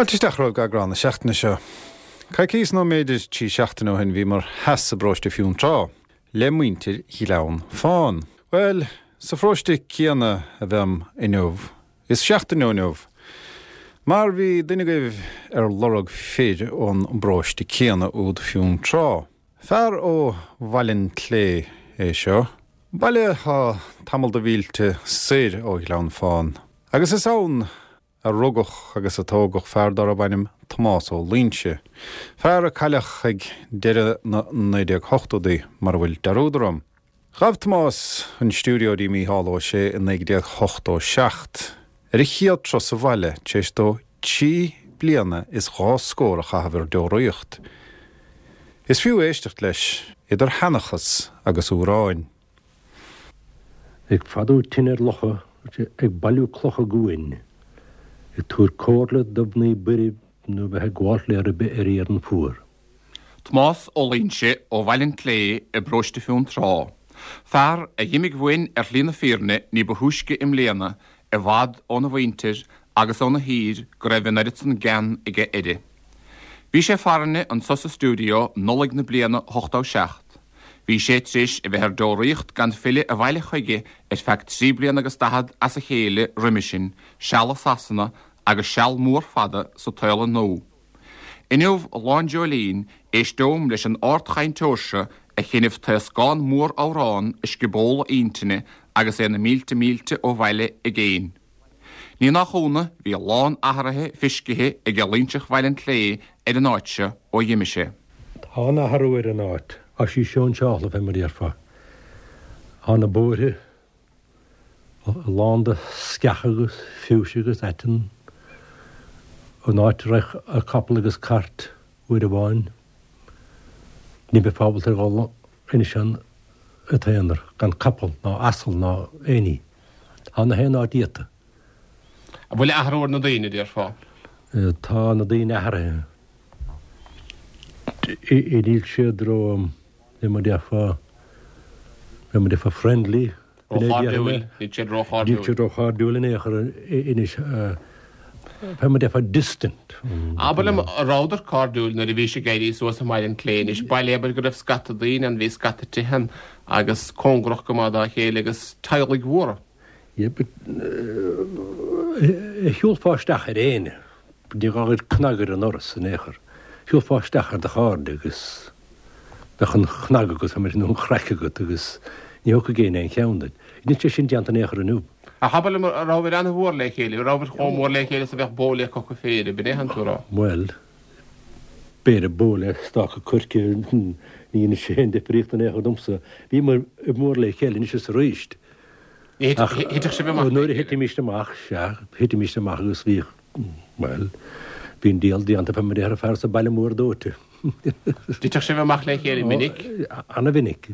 Fáilte isteach romhaibh go eagrán na seachtaine seo. Coicíos nó mb'fhéidir 3 seachtaine ó shin bhíomar theas i bparóiste Fionntrá le muintir Ghleann Fáin. Bhuel, sa pharóiste céanna a bheam inniu, is seachtain ó inniu, mar bhí duine agaibh ar lorg fir ón bparóiste céanna úd Fionntrá. Fear ó Bhaile an tSlé é seo, baile atá tamall de mhílte soir ó Ghleann Fáin, agus is ann a rugadh agus a tógadh fear darb ainm Tomás Ó Loingsigh, fear a cailleadh ag deireadh na 1980idí, mara bhfuil dearúd orm. Ghabh Tomás an stiúideo dtí Mícheál Ó Sé i 1987, ar a chéad turas abhaile tar éis dó 3 bliana is 2 scór a chaitheamh ar deoraíocht. Is fiú éisteacht leis, idir sheanchas agus amhráin. Ag fadú tine ar locha, ag bailiú clocha guain, ag tabhairt comhairle do mhnaoi buirb nó bheith ag gabháilt le ribe ar iarann fuar. Tomás Ó Loingsigh ó Bhaile an tSlé i bparóiste Fionntrá. Fear a dh'imigh uainn ar shlí na fírinne ní ba thúisce i mbliana, i bhfad óna mhuintir agus óna thír go raibh an oiread san gean aige uirthi. Bhí sé farainne anso sa stiúideo Nollaig na bliana 87. Bhí sé tar éis a bheith ar deoraíocht gan filleadh abhaile chuige ar feadh 3 bliana agus 40 as a chéile roimhe sin, seal i Sasana agus seal mór fada sa tsaol nua. Inniu, Lá an Dreoilín, éisteom leis an ardchainteoir seo a sheinnfidh taoscán mór amhrán i scioból a intinne agus é na mílte mílte ó bhaile i gcéin. Ní nach ionadh, bhí a lán athraithe feiscithe aige Loingseach Bhaile an tSlé ar an áit seo ó dh'imigh sé. Tá an-athrú ar an áit. Tá sí sóinseáltha, fé mar a déarfá. Tá na bóithre lán de sceacha agus fiúise agus aiteann. An áit a raibh capall agus cairt uair amháin, ní bheifeá ábalta a dhul anois ann i t-aonar, gan capall ná asal ná aon ní. Tá na haon áit iata. An bhfuil athrú ar na daoine, déarfá? Tá na daoine athraithe. Níl siad ró, fé mar a déarfá, fé mar a déarfá friendly. Róchairdiúil, níl siad róchairdiúil. Níl siad róchairdiúil in aon chor anois, fé mar a déarfá distant. Abair liom, an rabhadar cairdiúil nuair a bhís ag éirí suas i mBaile an tSlé anois, baile abair go raibh scata daoine ann, bhí scata tithe ann agus cóngarach go maith dá chéile agus teaghlaigh mhóra. Yeah, but shiúlfá isteach ar éinne, ní gá dhuit cnagadh ar an ndoras in aon chor, shiúlfá isteach ar do chairde agus bheadh an chnag agat, nó an chraic agat agus ní thiocfadh éinne aon cheann duit. Níl sé sin déanta in aon chor inniu. Ach abair liom, an rabhabhair an-mhór le chéile, an rabhabhair chomh mór le chéile is a bheadh bó le coca féir, ab in é atánn tú a rá? Bhuel, b'fhéidir bó le stáca coirce, ní dhéanann sé aon difríocht in aon chor domsa. Bhíomar mór le chéile anois is arís. Ach thiteadh sibh amach nuair a thitimis amach, sea, thitimis amach agus bhíodh, bhuel, bhí an diabhal déanta fé mar a déarfá fear sa baile mór dóite. Thiteadh sibh amach le chéile minic? Ana-mhinic.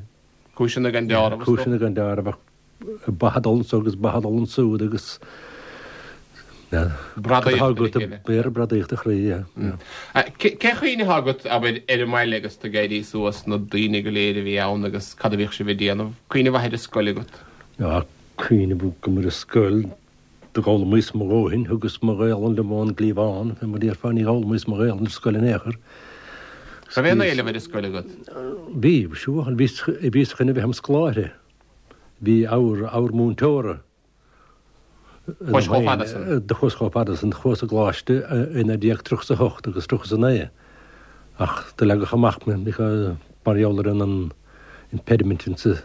Cúiseanna gan deáramh, is dócha. Cúiseanna gan deáramh, ach ba ag dul anso agus ba ag dul ansúd agus Bradaíocht ar a chéile. B'fhéidir bradaíocht a chroí, yeah. Cén chuimhne atá agat, abair, ar an mbaile agus tú ag éirí suas, na daoine go léir a bhí ann agus cad a bhíodh sibh ag déanamh? Cuimhne mhaith ar an scoil agat? Tá cuimhne agam ar an scoil. Do dh'fhoghlaimíos mo dhóthain, thugas mo Ghaolainn liom ón gcliabhán, fé mar a déarfá, ní dh'fhoghlaimíos mo Ghaolainn ar scoil in aon chor. Raibh aon éileamh ar an scoil agat? Bhí, sure, bhíos chun a bheith im scoláire. Bhí abhar, abhar múinteora. Chuais chomh fada san. Do chuas chomh fada san. Chuas i gcoláiste i 1938 agus 39 ach do leagadh amach mé because mar gheall ar an impediment insa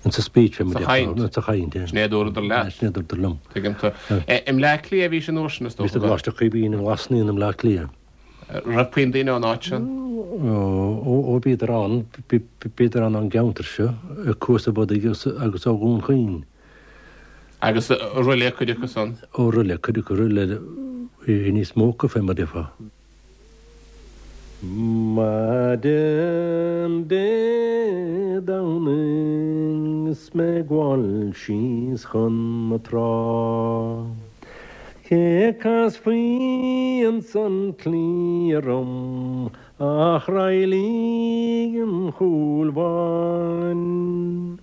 insa speech fé mar Sa chaint. Sa chaint, yeah. Sin é a dúradar leat. Sin é a dúradar liom. Tuigim tú. I mBleá Cliath a bhís an uair sin is dócha. Bhíos i gColáiste Chaoimhín i nGlas Naíon i mBleá Cliath. Raibh puinn daoine ón áit sin? Ó, bhíodar ann, bhíodar ann ón gceantar seo, i Cuas an Bhodaigh agus ó Dhún Chaoin. Agus Oirialla cuid acu san? Ó Oirialla, cuid acu Oirialla, bhí níos mó acu fé mar a déarfá. Maidin Dé Domhnaigh 's mé ag gabháil síos chun na trá Cé a casfaí ins an tslí orm ach Roilí an Chúil Bháin.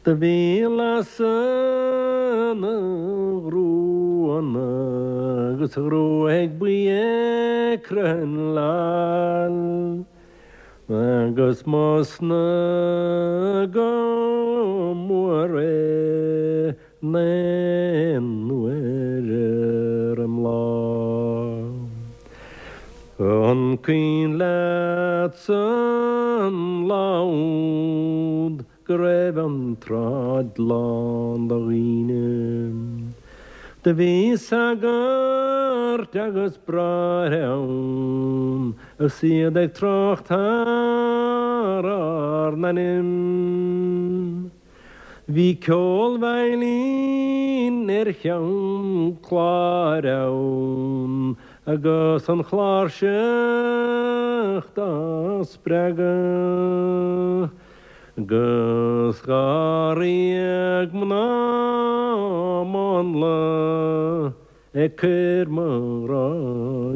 Do bhí lasadh na ngruanna agus a ghruaig buí ag croitheann agus m'osna go mór é n-aon uair ar an mbláth. An cuimhin leatsa an lá úd go raibh an tsráid lán de dhaoine. Do bhí sagairt agus bráithre ann agus iad ag trácht thar ár n-ainm. Bhí ceol veidhlín ar cheann cláir ann agus an chláirseach dá spreagadh. 'Gus dháréag mná mánla ag cur mo ghrá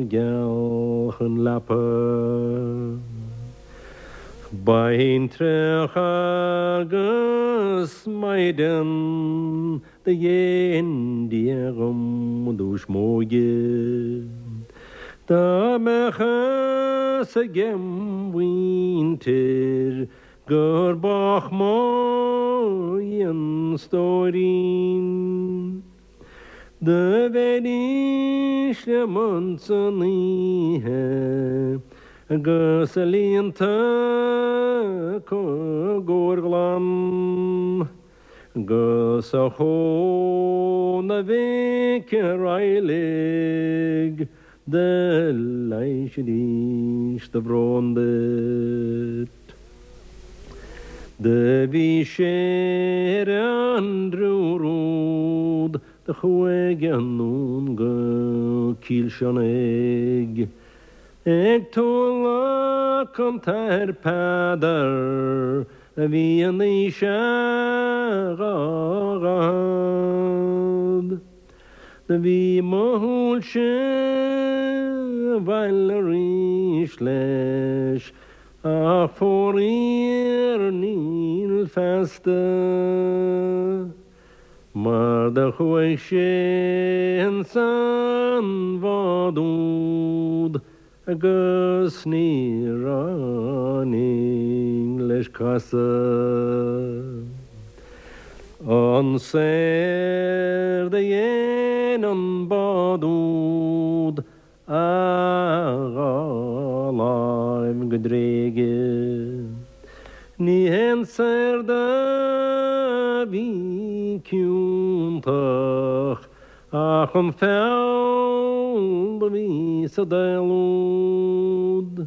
geal chun leapa. Baintreach agus maighdean do dhein Dia dhom i dtús m'óige. Dá mbeadh fhios agem mhuintir Gur bách mo dhianstóirín. Do bheidís liom ansan oíche agus a líonta acu gcóir ghlan. 'Gus a shóna mhic Raghallaigh do leighisidís do bhrón duit. Do bhí sé ar an dtriúr úd do chuaigh anonn go Cill Sionnigh ag toghlach an t-Athair Peadar a bhí in aois a 240. Do bhí mo shúilse abhaile arís leis ach faraor níl feasta mar do chuaigh sé insan bhád úd Agus ní ráinig leis casadh. An saor do dhein an bád úd a dhá láimh go dtréige. Ní haon saor do bhí ciontach Ach an feall do bhí sa daol úd,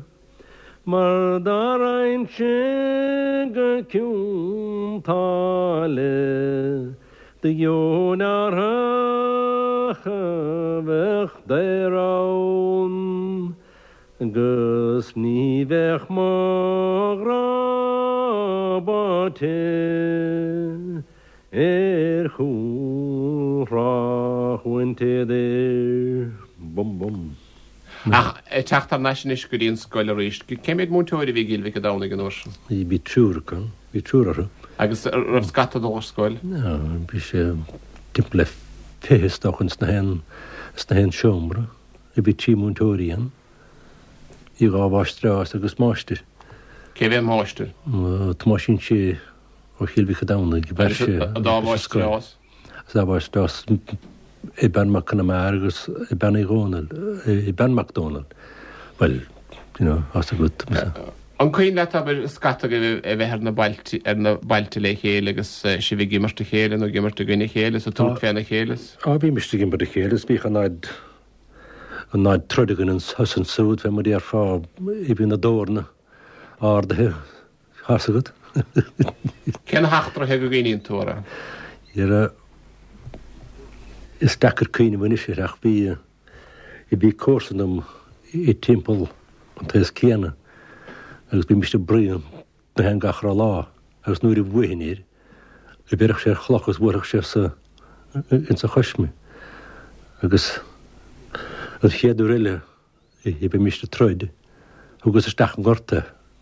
mar dá raghainnse go Cionn tSáile, do gheobhainn árthach a bheadh daor ann, 'gus ní bheadh mo ghrá báite. Ar chúl Thrá Bhaint Éadair. Bum bum. Ach ag teacht thar n-ais anois go dtí an scoil arís, cé mhéad múinteoir a bhí i gCill Mhic an Domhnaigh an uair sin? Bhí triúr acu, bhí triúr orthu. Agus an raibh scata ag dul ar scoil? Bhí sé timpeall le 20 is dócha ins na haon, ins na haon seomra. Bhí trí múinteoirí ann, bhí dhá mháistreás agus máistir. Cé bhí an máistir? Tomáisín Sé. Ó Chill Mhic an Domhnaigh, bheir sé An dá mháistreás. An dá mháistreás Bean Mac Conamara agus Bean Uí Dhónaill, Bean Mac Dónaill. Bhuel, you know, as agat. An cuimhin leat, abair, scata agaibh a bheith ar na bailte, ar na bailte le chéile agus sibh ag imirt a chéile nó ag imirt i gcoinne a chéile is ag tabhairt féna chéile is. Á, bhímis ag imirt a chéile is bhíodh an fhad, an fhad troid againn anso is ansúd, fé mar a déarfá, bhí na dorna ardaithe Tá's agat. Cé na heachtraithe go gcuimhníonn tú orthu? Dhera, is deacair cuimhneamh anois air ach bhí, bhí comharsan dom i timpeall an taos céanna agus bhímist ag bruíon na haon gach re lá agus nuair a bhuafainn air, bhéarfadh sé ar chloch agus bhuailfeadh sé sa, insa chois mé. Agus an chéad uair eile a bhímist ag troid, thugas isteach an gort é.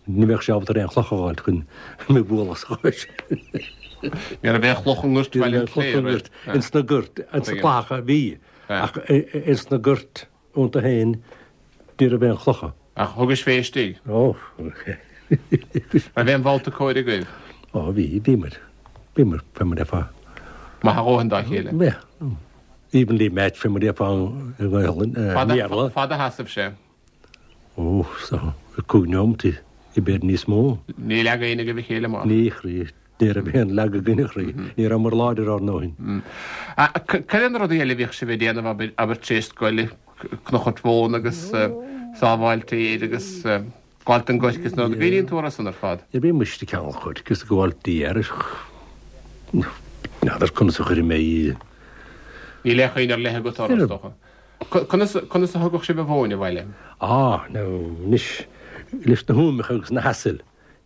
Ní bheadh sé ábalta ar aon chloch a fháilt chun mé a bhualadh sa chois. Ní raibh aon chloch i ngort Bhaile an Chléire. Ins na goirt, ins na clathacha bhí, ach ins na goirt iontu féin ní raibh aon chlocha. Ach thugais fé istigh? Ó. Raibh aon bhabhta cóir agaibh? Ó bhí, bhíomar, bhíomar, fé mar a déarfá. Maith a dhóthain dá chéile? Bhí. Evenly matched fé mar a déarfá i nGaelainn, i mBéarla. Fad a sheasaimh sé? Ó, so, 5 neomataí, b'fhéidir níos mó. Ní leag éinne agaibh a chéile amach? Ní, a chroí, ní raibh aon leagadh againn, a chroí. Ní rabhamar láidir ár ndóthain. Cad é na rudaí eile a bhíodh sibh ag déanamh, abair, abair tar éis scoile, cnuchairt mhóna agus sábháil féir agus gabháilt don gcoirce is na rudaí, cuimhníonn tú orthu san ar fad? Bhí muid ag ceangal coirce is ag gabháilt d'fhéar is n'fheadar conas a chuirfidh mé í. Níl aon chuimhne ar leith agat orthu, is dócha. Conas, conas a thugadh sibh an mhóin abhaile? Á, now, anois, leis na húmacha agus na hasail,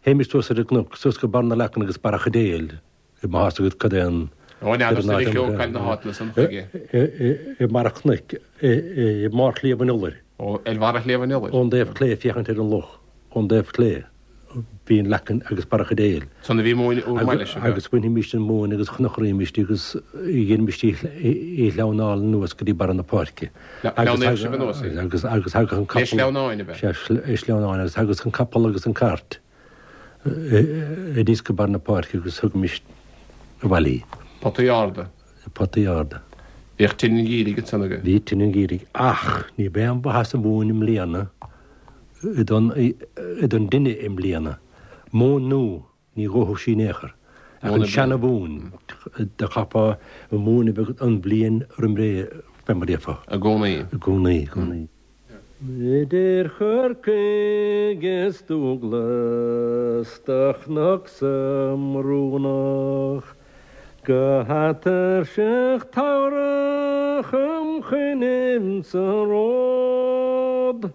théimis suas ar an gcnoc, suas go barr na leacan agus Barra Chaidéil, má tá a fhios agat cad é an. Ó, n'fheadar sa mhic óg cad na háiteanna san chuige. I mbarra cnoic, i mbarr Shliabh an Iolair. Ó, ar bharra Shliabh an Iolair. Ón dtaobh clé, féachaint ar an loch, ón dtaobh clé. Bhí an leacan agus Barra Chaidéil. San a bhí móin úr maith leis. Agus bhainfimis an mhóin agus chnuchraímis í agus dheinimist í a shleamhnáil anuas go dtí barra na páirce. Shleamhnaíodh sibh anuas í? Agus agus thagadh an capall. Le sleamhnáin ab ea? Sea, sleamhnáin agus thagadh an capall agus an cairt aníos go barr na páirce agus thugaimis abhaile í. Potaí arda? Potaí arda. Bhíodh tine an gheimhridh ansan agaibh? Bhí tine an gheimhridh ach ní bheidh aon mhaitheas sa mhóin i mbliana don dtine i mbliana. Móin nua, ní dhófadh sí in aon chor. Ach an seana-mhóin, do chaithfeá an mhóin a bheadh an bhliain roimh ré fé mar a déarfá. I gcónaí. I gcónaí, i gcónaí. Idir Chorcaigh is Dúglas do chnoc sa mBrúnach go hatairseach Teamhrach im choinnibh sa ród.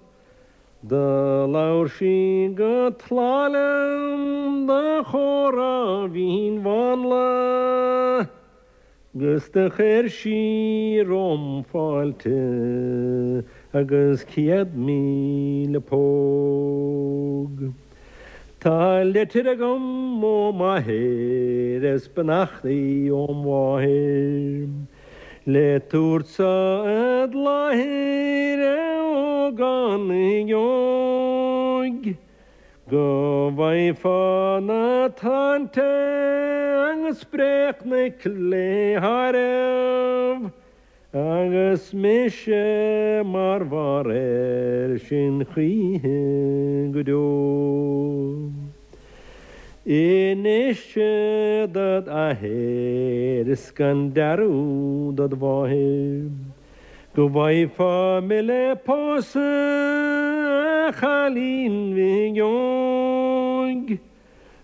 Do labhair sí go tláth liom do chomhrá mhín mhánla. 'Gus do chuir sí romham fáilte agus 100,000 póg. Tá litir agam ó m'athair is beannachtaí óm mháthair le tabhairt so id láthair a ógánaigh óig. Go bhfaighfeá na táinte agus Bré Chnoic le háireamh agus mise mar bharr air sin choíche go deo. Inis dod athair is gan dearúd dod mháthair. Go bhfaighfeá mé le pósadh a chailín bhig óig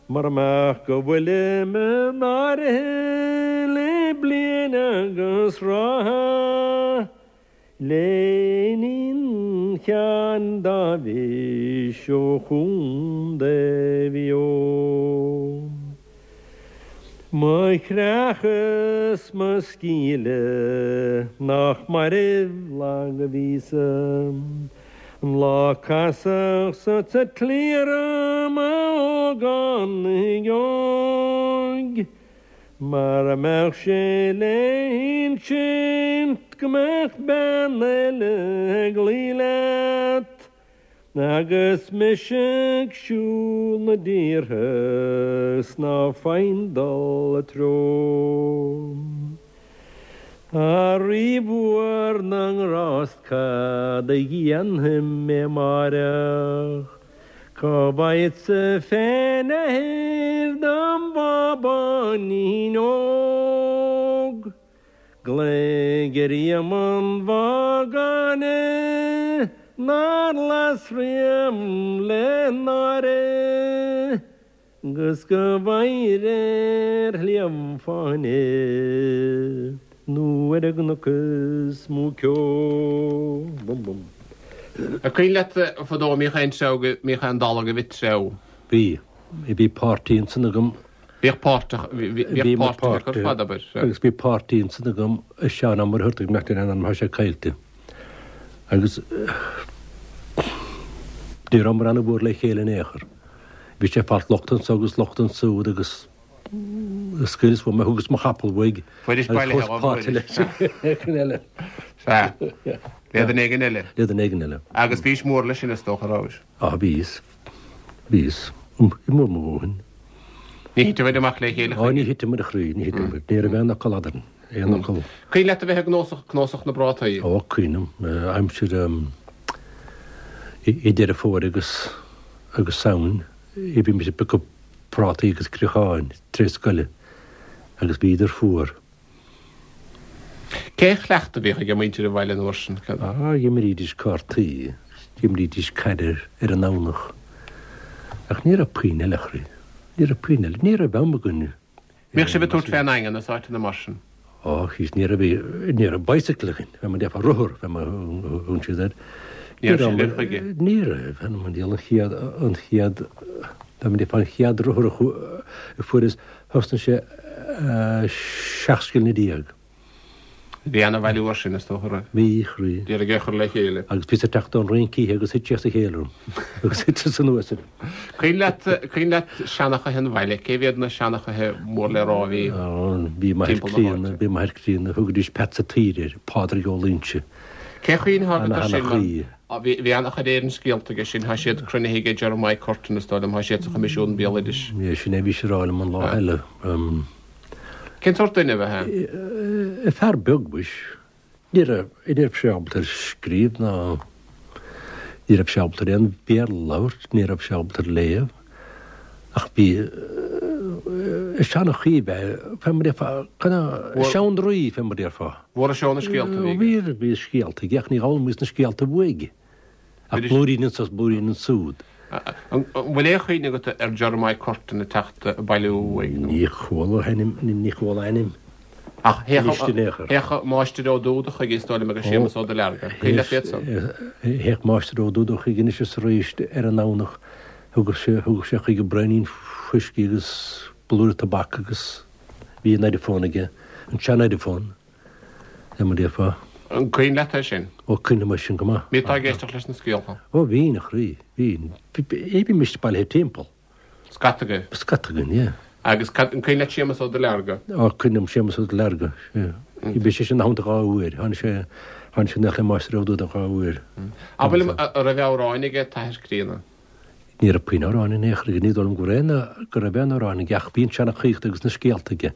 Mura mbeadh go bhfuilim in áirithe le bliain agus ráithe Le iníon Sheáin Dáibhis ó Chontae Mhaigh Eo. Mo chreach is mo scíle nach mairbh lag a bhíosa An lá casadh sa tslí orm a ógánaigh óig Mara mbeadh sé le hinsint go mbeadh bean eile ag luí leat Agus mise ag siúl na dtíortha 's ná faighinn dul a treo. A Rí mhór na nGrást cad a dhéanfaidh mé amáireach? Cá bhfaighfeadsa féin athair dom bhábáinín óg? Glaoigh ar Éamonn Mhagáine nár las riamh le náire 'gus go bhfaighir ar Shliabh Fáinne nó ar an gcnoc is mó ceo. Bum bum. An cuimhin leat fadó an mbíodh aon treabhadh, an mbíodh aon dalladh agaibh ag treabhadh? Bhí. Bhí páirtí ansan agam Bhíodh páirteach, bhíodh páirtithe ar fad, abair. Agus bhí páirtí ansan agam a Seán Ó Muircheartaigh nach in ainm tá sé caillte. Agus ní rabhamar ana-mhór le chéile in aon chor. Bhí sé ag fáilt locht anso agus locht ansúd agus Scaoileas uaim é, thugas mo chapall uaidh Fuairis agus bailithe chuas dhó, páirte fuairis. le duine eile. Sea. Le duine éigin eile. Le duine éigin eile. Agus bhís mór leis sin, is dócha, rabhais? Á, bhíos. Bhíos. Mór mo dhóthain. Ní thiteamair amach le chéile Á, ní thiteamair a chroí, ní thiteamair. Ní raibh aon fhocal eadrainn. Aon fhocal. Cuimhin leat a bheith ag cnuasach, cnuasach na bprátaí? Ó, cuimhním. Aimsir i Deireadh Fómhair agus agus Samhain, bhímis ag piocadh prátaí agus críocháin tar éis scoile agus bhíodar fuar. Cén chleachtadh a bhíodh ag muintir an bhaile an uair sin? Á, d'imrídís cártaí, d'imrídís caid ar an nDomhnach. Ach ní raibh puinn eile, a chroí. Ní raibh puinn eile. Ní raibh am againn. Mbíodh sibh ag tabhairt fén nDaingean is áiteanna mar sin? Á, thíos, ní raibh, ní raibh bicycle againn, fé mar a déarfá, rothar, fé mar a thugann siad air. Ní raibh sé agaibh chuige? Ní raibh, an diabhal an chéad, an chéad, fé mar a déarfá, an chéad rothar a fuaireas, Thosnaigh sé 17 scilling. Bhí ana-bhailiú air sin, is dócha, raibh? Bhí, a chroí. D'iarraidh é a chur le chéile. Agus bhíos ag teacht ón rince oíche agus thit sé as a chéile orm agus thiteas anuas air. Cuimhin leat, cuimhin leat seanchaithe an bhaile, cé mhéad na seanchaithe mór le rá a bhí Bhí m'athair timpeall na críonna, háite? bhí m'athair críonna, thugaidís Peats a' tSaoir air, Pádraig Ó Loingsigh. Cén chuimhne atá agat air sin mar Ana-sheanchaí. bhí an-chuid Éireann scéalta aige sin, tá siad cruinnithe aige Jeremiah Curtin is dóigh liom, tá siad sa Choimisiún Béaloidis. Sin é a bhís ag rá liom an lá eile. Cén sórt duine ab ea é? Fear beag, mhuis. Ní raibh, ní raibh sé ábalta ar scríobh ná ní raibh sé ábalta ar aon Bhéarla a labhairt, ní raibh sé ábalta ar léamh. Ach bhí seanchaí ab ea é, fé mar a déarfá, seandraoi, fé mar a déarfá. Mhór seó na scéalta a bhí aige. Bhí, bhí scéalta aige ach ní fhoghlaimíos na scéalta uaidh. Ach blúirín anso is blúirín ansúd. An bhfuil aon chuimhne agat ar Jeremiah Curtin ag teacht ag bailiú uaidh nó? Ní chuala a ainm, ní chuala a ainm. Ach théadh Máistir Ó Dúda chuige is dóigh liom agus Séamus Ó Duilearga. Cuimhin leat iad san? Théadh Máistir Ó Dúda chuige anois is arís ar an nDomhnach. Thugadh sé, thugadh sé chuige braoinín fuiscí agus blúire tobac agus bhí an Ediphone aige, an sean-Ediphone. Fé mar a déarfá. An cuimhin leat é sin? Ó, cuimhním air sin go maith. Bhí tú ag éisteacht leis na scéalta? Ó, bhínn, a chroí, bhínn. Bhímis bailithe timpeall. Scata agaibh? Scata againn, yeah. Agus cad, an cuimhin leat Séamus Ó Duilearga? Ó, cuimhním, Séamus Ó Duilearga, yeah. Bhí sé sin ina theannta dhá uair. Tháinig sé, tháinig sé aníos le Máistir Ó Dúda dhá uair. Abair liom, an raibh amhráin aige t'athair críonna? Ní raibh puinn amhráin in aon chor aige, ní dóigh liom go raibh aon, go raibh aon amhráin aige ach bhí an seanchaíocht agus na scéalta aige.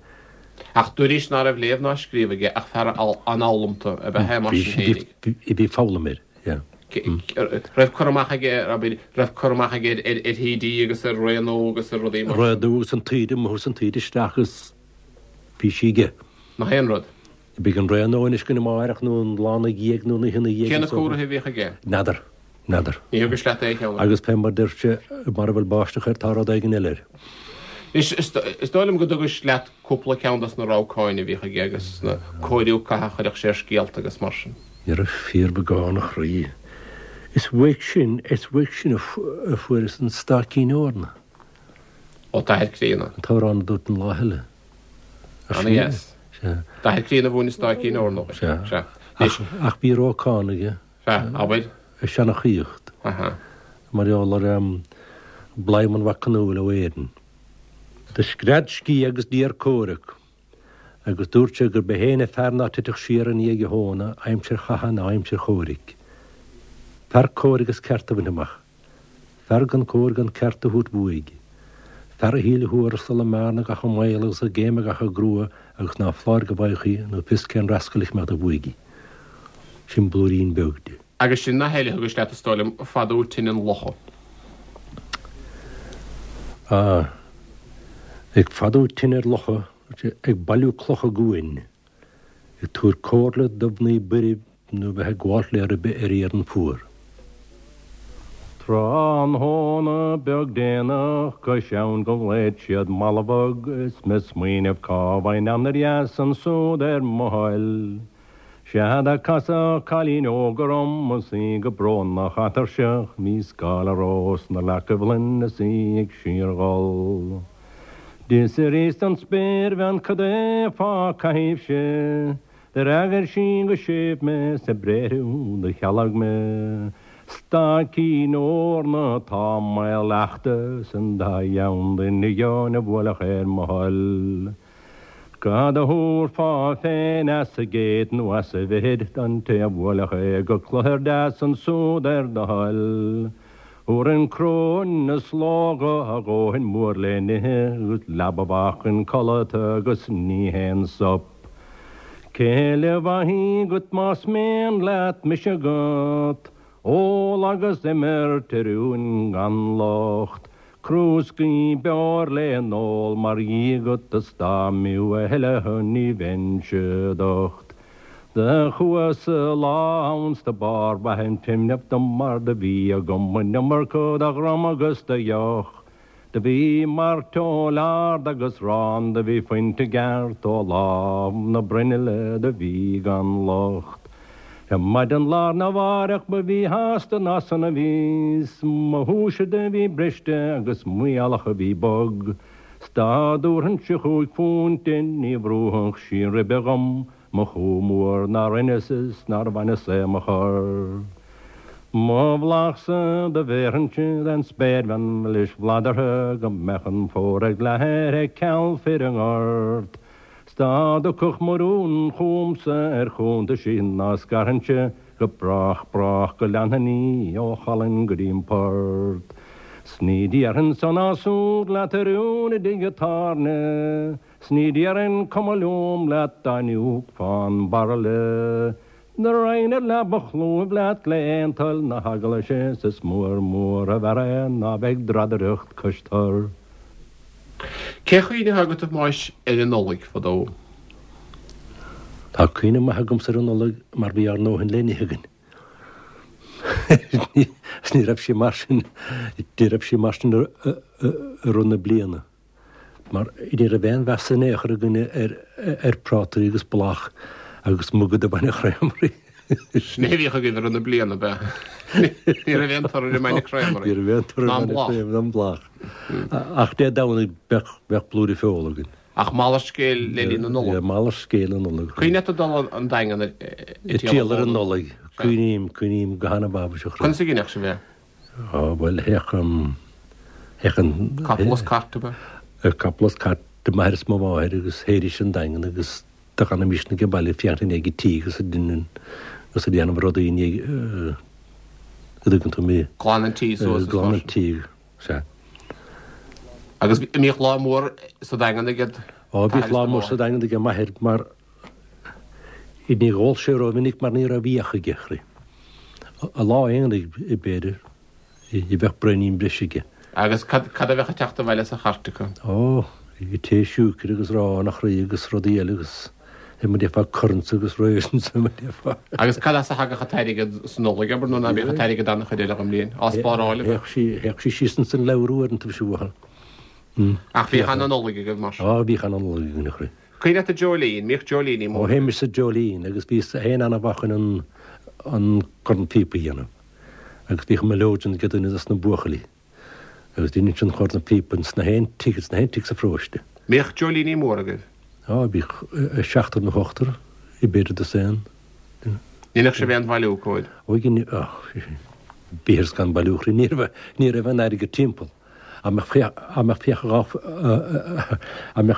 Ach dúraís ná raibh léamh ná scríobh aige ach fear an-fhoghlamta ab ea é mar sin féinig. Bhí, bhí foghlaim air, yeah. Raibh cur amach aige ar, abair, raibh cur amach aige ar, ar thaoidí agus ar Ré Nua agus ar rudaí mar sin. Ré Nua agus an taoide amuigh agus an taoide isteach agus bhí sí aige. Nach aon rud. Beidh an Ré Nua anois againn amáireach nó an lá 'na dhiaidh nó an oíche 'na dhiaidh. Cé na cóirithe a bhíodh aige? N'fheadar. N'fheadar. Ní thugais leat aon cheann acu. Agus fé mar deir sé, mara bhfuil báisteach air tá rud éigin eile air. Anois, is dóigh liom go dtugais leat cúpla ceann dos na rabhcáin a bhíodh aige agus na cóiriú catha a chuireadh sé ar scéalta agus mar sin. Ní raibh fíorbheagán a chroí. Is uaidh sin, is uaidh sin a fuaireas an Staicín Eorna. Ó t'athair críonna. An t-amhrán a dúirt an lá eile. Ana dheas. D'athair críonna a mhúin an Stáicín Eorna dhuit. Sea. Ach bhí rabhcán aige. Sea, abair. Ag seanchaíocht. Mar gheall ar Bladhmann Mhac Conúil ó Éirinn. Do scread sciath agus d'iarr comhrac, agus dúirt sé gurb é féin an fear ná titfeadh siar i ndiaidh a thóna aimsir chatha ná aimsir chomhraic. Fear cóir agus ceart a bhaint amach. Fear gan cóir gan ceart a thabhairt uaidh. Fear a shíl a thuarastal i mbearna gach i mbaol agus i gcéim gach i gcrua agus ná foláir go bhfaigheadh í nó fios cén rascail a mbeadh do bhuaidh. Sin blúirín beag de. Agus sin nath eile a thugais leat is dóigh liom, fadú tine an locha. Ah. Ag fadú tine ar locha, ag bailiú clocha guain. Ag tabhairt comhairle do mhnaoi buirb nó bheith ag gabháilt le ribe ar iarann fuar. Tráthnóna beag déanach cois abhann go nglaod siad Mallabhog is mé smaoineamh cá bhfaighinn anoir dheas ansúd ar mo thoil. Sea do casadh cailín óg orm is í go brónach atuirseach bhí scáil rós 'na leacaibh ghlinn is í ag síorghol. D'fhiosraíos don spéirbhean cad é fá caithimhse. D'fhreagair sí go séimh mé 's a bréithre do chealg mé. Staicín eorna atá i mbaol leachta 's an dá dheamhan duine a bhuailfeadh ar mo thoil. Cad a thabharfá féin as an gcéad nó as an bhfichid don té a bhuailfeadh é go cluthar deas ansúd ar do thoil? Thabharfainn cróin is slógadh a dhóthain mór le n-ithe agus leaba mhaith chun codlata agus ní haon sop. Céile mhaith í agat más mian leat mise agat, ól agus imirt a rúin gan locht. Crúscaí beoir le n-ól mar dhia agat is dá mb'fhiú a thuilleadh ní bheinnse docht. Do chuas-sa lá ann 's do b'fhearr mhaith an cuimhneamh dom mar do bhí agam an iomarca de dhram agus de dheoch. Do bhí mairteoil ard agus 'rán do bhí fuinte i gceart ó lámh na bruinille do bhí gan locht. Ar maidin lá arna mháireach ba mhíshásta ná sona bhíos, mo shúise do bhí briste agus m'ualach a bhí bog, 's dá dtabharfainnse chúig phunt di ní bhrúfadh sí ribe dhom, mo chú mór nár rinneas is nár bhaineas é mo chor. Mo bhláthsa do bhéarfainnse den spéirbhean mhilis bhladartha go mbeadh an fómhar ag leathadh uirthi ceal fir i ngort. 'S dá dtiocfadh mo rún chugamsa ar chuntaisí ná scarfainnse go brách brách go leanfainn í ó Cholainn go dtí'n port. 'S ní déarfainn so ná súd leat a rún i dtigh a' tábhairne, 's ní déarfainn cuma liom leat dá n-íocfá an bairille. Do raghainn ar leaba chlúimh leat le aon toil na heaglaise 's is mór mór ab fhearr é ná bheith ag dradaireacht cois tor. Cén chuimhne atá agat a Thomáis ar an Nollaig fadó? Tá cuimhne maith agamsa ar an Nollaig mar bhí ár ndóthain le n-ithe againn. Is ní raibh sí mar sin, ní raibh sí mar sin i rith na bliana. Mar ní raibh aon mheas in aon chor againne ar prátaí agus blach agus muga de bhainne chreamery. Sin é a bhíodh agaibh i rith na bliana, ab ea? Ní raibh aon toradh ar an mbainne creamery. Ní raibh aon toradh ar an mbainne creamery ná an blach. Ach Dé Domhnaigh bheadh blúire feola againn. Ach malairt scéil le linn na Nollag. Malairt scéil na Nollag. Cuimhin leat ag dul an Daingean ag triall ar an Nollaig. Cuimhním, cuimhním go han-mhaith. Conas a dheineadh sibh é? Á, bhuel, théadh, théadh an. Capall is cairt, ab ea? Capall is cairt de m'athair is mo mháthair agus théidís an Daingean agus do fhanaimis ag baile ag féachaint i ndiaidh an tí agus ag déanamh, agus ag déanamh rudaí i ndiaidh, an dtuigeann tú mé. Glanadh an tí suas is mar sin. Glanadh an tí, sea. Agus an mbíodh lá mór sa Daingean ag Á, bhíodh lá mór sa Daingean ag m'athair mar Ní dh'ól sé rómhinic mar ní raibh fiach aige, a chroí. Lá aonaigh, b'fhéidir, bheadh braoinín breise aige. Agus cad a bheadh ag teacht abhaile sa chairt acu? Ó, tae siúicre agus arán, a chroí, agus rudaí eile agus mar a déarfá currants agus raisins, mar a déarfá. Agus cad as a thagadh an t-airgead sa Nollaig, abair, nuair ná bíodh an t-airgead ann an chuid eile den mbliain? Á spáráil, ab ea? Théadh sí síos ins an leabhar uaireanta, bhí sí uathu. Ach bhíodh ana-Nollaig agaibh, mar sin? Á, bhíodh ana-Nollaig againn, a chroí. Cuimhin leat an Dreoilín? Mbíodh dreoilíní Ó móra. théimis sa Dreoilín agus bhíos féin ana-mhaith chun an an corn phíopa a dhéanamh agus bhíodh an mileoidean ag duine dos na buachaillí agus dheineadh an corn phíopa ins na haon tigh ins na haon tigh sa pharóiste. Mbíodh dreoilíní móra agaibh? Á bhíodh seachtar nó ochtar b'fhéidir dosaen duine. Ndeineadh sibh aon bhailiú cóir? Ó dhein á bhíothas gan bailiú a chroí ní raibh ní raibh aon airgead timpeall. Dá mbeadh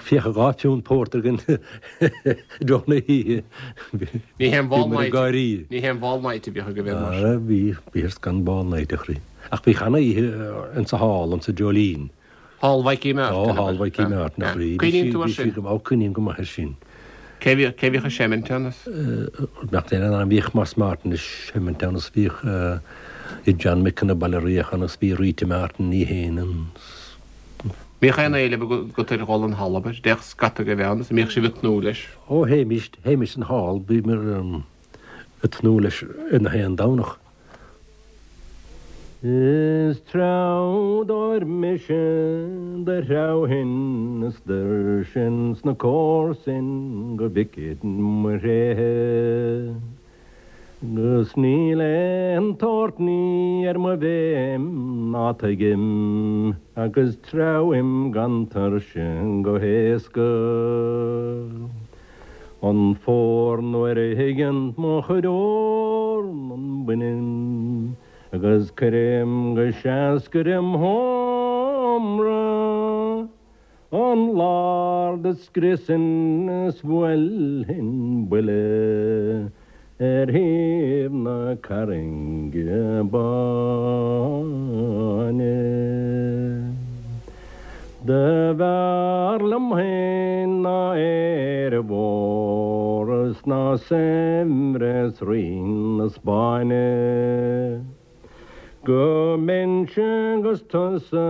fiacha dhá phiúnt pórtair againn i dtreo na hoíche, Ní haon bhall night, ní haon ball night a bhíodh agaibh aon mar sin. Bhí, bhíothas gan ball night a chroí. Ach bhí cheana oíche insa hall, insa Dreoilín. Hall Mhaidhcí Mheáirt. Ó, Hall Mhaidhcí Mheáirt, a chroí. Cuimhníonn tú air sin? Ó, cuimhním go maith air sin. Cé bhíodh, cé bhíodh ag seimint ann is? Nach é an bhíodh Moss Martin ag seimint ann is bhíodh John Mick na Baile Riach ann is bhí Rita Martin í fhéin ann is. Mbíodh aon éileamh agat ar dhul 'on halla, abair, d'fhéach scata agaibh ann is an mbíodh sibh ag tnúth leis? Ó théimis, théimis 'on hall, bhíomar ag tnúth leis ar na haon Domhnach. Is treabhdóir mise do threabhfainn is d'oirfinn sna comharsain go bhficid mo thréithe. 'Gus níl aon tsórt ní ar mo bhéim ná tuigim agus treabhaim gan tuirse go héasca. An fómhar nuair a thigeann mo chuid eornan bainim agus cuirim go seascair im sheomra an lár. do scriosfainn is bhuailfinn buille ar thaobh na Carrainge Báine. Do bhfearr liom féin ná Éire mhór is ná saibhreas Rí na Spáinne. Go mbeinnse agus tusa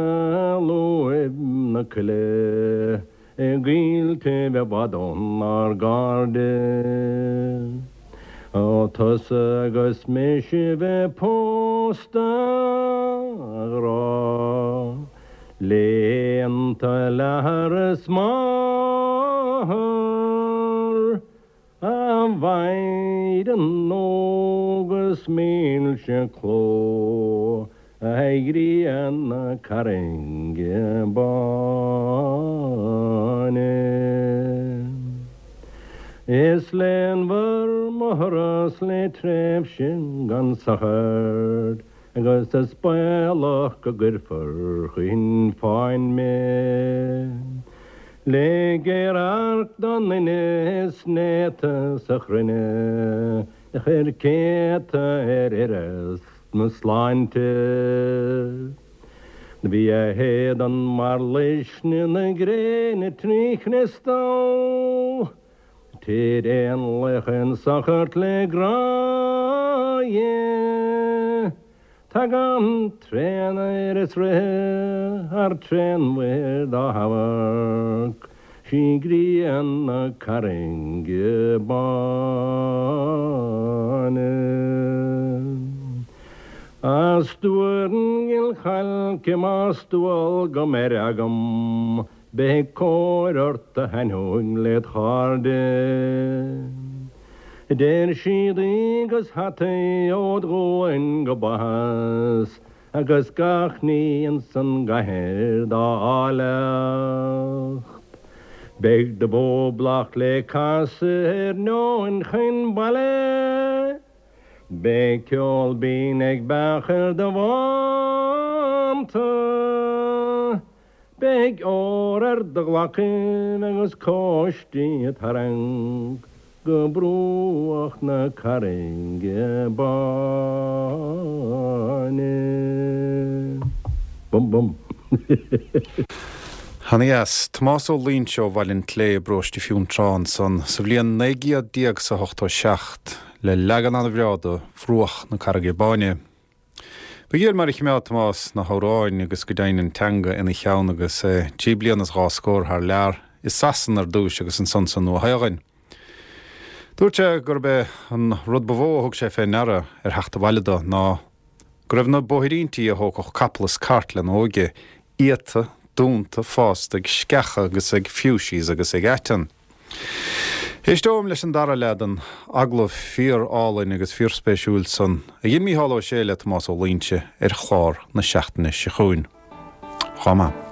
lúib na coille i gcoilltibh i bhfad ónár gcairde. Ó tusa agus mise bheith pósta, a ghrá, léannta le hathair is máthair. A mhaighdean óg is milse cló a ghrian na Carrainge Báine. Is léanmhar mo thuras le tréimhse gan sochar Agus is baolach go gcuirfear chun fáin mé. Le géar-amharc don duine is néata sa chruinne a chuir céadta ar uireasa mo shláinte. Do bhí a héadan mar luisne na gréine trí chriostal. Tir éanlaith in sochar le grá Dhé. Tagann tréan-aoir is ríthe thar tréan-mhuir dá hamharc, sí grian na Carrainge Báine. A stuaim ghil chailce más dual go mbeir agam Beidh cóir ort a thaitneoidh led chairde. Deir siad agus hataí ód ghualainn go baitheas agus gach ní ins an gcathair dá áilleacht. Beidh do bhóblach le casadh ar neoin chun baile. Beidh ceol binn ag beach ar do bhánta. Beidh ór ar do ghlacaibh agus cóistí ag tarraingt go bruach na Carrainge Báine. Bum bum. Ana dheas. Tomás Ó Loingsigh ó Bhaile an tSlé i bparóiste Fionntrá ansan sa bhliain 1987 le leagan an-bhreá de Bhruach na Carraige Báine. Ba ghéar mar a chimeád Tomás na hamhráin agus go deimhin an teanga ina cheann agus é trí bliana is dhá scór thar lear, i Sasana ar dtúis agus ansan sa Nua-Shéalainn. Dúirt sé gurb é an rud ba mhó a thug sé fé ndeara ar theacht abhaile do ná go raibh na bóithríntí a thógfadh capall is cairt lena óige iata, dúnta, fásta ag sceacha agus ag fuchsias agus ag aiteann. Éisteoim leis an dara leath den agallamh fíor-álainn agus fíorspéisiúil san a dhein Mícheál Ó Sé le Tomás Ó Loingsigh ar chlár na seachtaine seo chugainn. Chomh maith.